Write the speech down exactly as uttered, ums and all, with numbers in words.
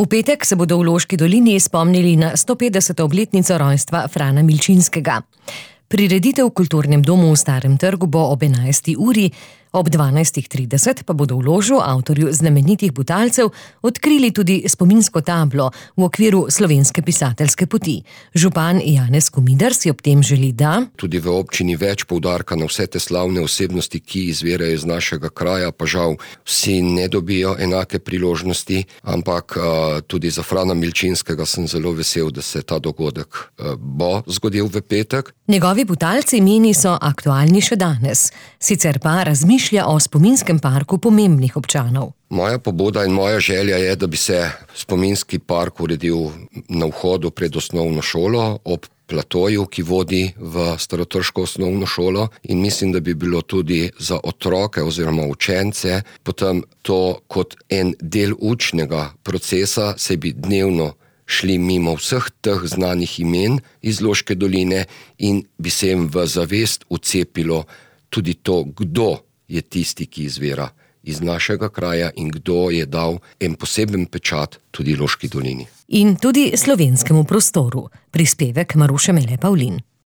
V petek se bodo v Loški dolini spomnili na sto petdeseto obletnico rojstva Frana Milčinskega. Prireditev v Kulturnem domu v Starem trgu bo ob enajsti uri, ob dvanajstih trideset pa bodo v ložu avtorju znamenitih Butalcev odkrili tudi spominsko tablo v okviru Slovenske pisateljske poti. Župan Janez Komidar si ob tem želi, da tudi v občini več poudarka na vse te slavne osebnosti, ki izvirajo iz našega kraja, pa žal vsi ne dobijo enake priložnosti, ampak uh, tudi za Frana Milčinskega sem zelo vesel, da se ta dogodek uh, bo zgodil v petek. Njegovi Butalci meni so aktualni še danes, sicer pa razmišljajo o spominskem parku pomembnih občanov. Moja pobuda in moja želja je, da bi se spominski park uredil na vhodu pred osnovno šolo, ob platoju, ki vodi v starotrško osnovno šolo, in mislim, da bi bilo tudi za otroke oziroma učence potem to kot en del učnega procesa, se bi dnevno šli mimo vseh teh znanih imen iz Loške doline in bi se jim v zavest vcepilo tudi to, kdo je tisti, ki izvira iz našega kraja in kdo je dal en poseben pečat tudi Loški dolini. In tudi slovenskemu prostoru. Prispevek Maruše Mele Pavlin.